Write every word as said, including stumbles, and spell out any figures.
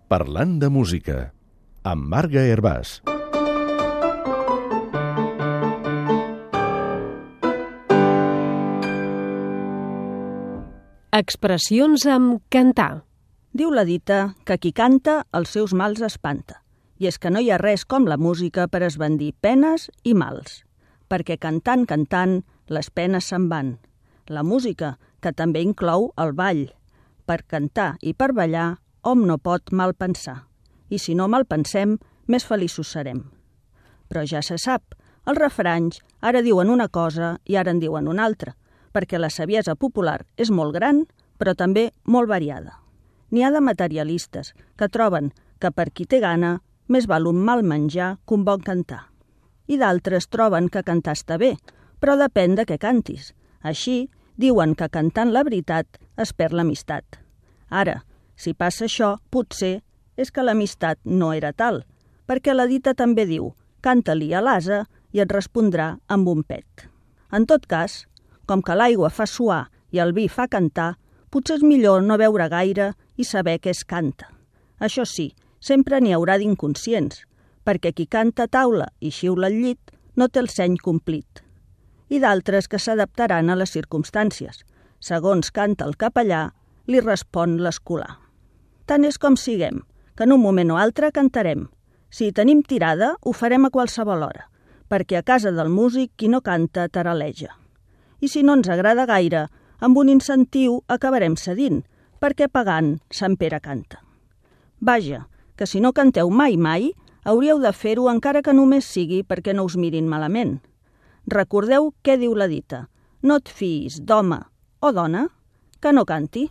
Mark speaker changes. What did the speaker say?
Speaker 1: Parlant de música, amb Marga Hervàs.
Speaker 2: Expressions amb cantar.
Speaker 3: Diu la dita que qui canta els seus mals espanta. I és que no hi ha res com la música per esbandir penes i mals. Perquè cantant, cantant, les penes se'n van. La música, que també inclou el ball. Per cantar i per ballar, hom no pot mal pensar. I si no mal pensem, més feliços serem. Però ja se sap, els refranys ara diuen una cosa i ara en diuen una altra, perquè la saviesa popular és molt gran, però també molt variada. N'hi ha de materialistes que troben que per qui té gana més val un mal menjar que un bon cantar. I d'altres troben que cantar està bé, però depèn de què cantis. Així, diuen que cantant la veritat es perd l'amistat. Ara, si passa això, potser és que l'amistat no era tal, perquè la dita també diu «canta-li a l'ase i et respondrà amb un pet». En tot cas, com que l'aigua fa suar i el vi fa cantar, potser és millor no beure gaire i saber què es canta. Això sí, sempre n'hi haurà d'inconscients, perquè qui canta a taula i xiula al llit no té el seny complit. I d'altres que s'adaptaran a les circumstàncies. Segons canta el capellà, li respon l'escolà. Tant és com siguem, que en un moment o altre cantarem. Si tenim tirada, ho farem a qualsevol hora, perquè a casa del músic qui no canta taraleja. I si no ens agrada gaire, amb un incentiu acabarem cedint, perquè pagant Sant Pere canta. Vaja, que si no canteu mai mai, hauríeu de fer-ho encara que només sigui perquè no us mirin malament. Recordeu què diu la dita, no et fiïs d'home o dona que no canti.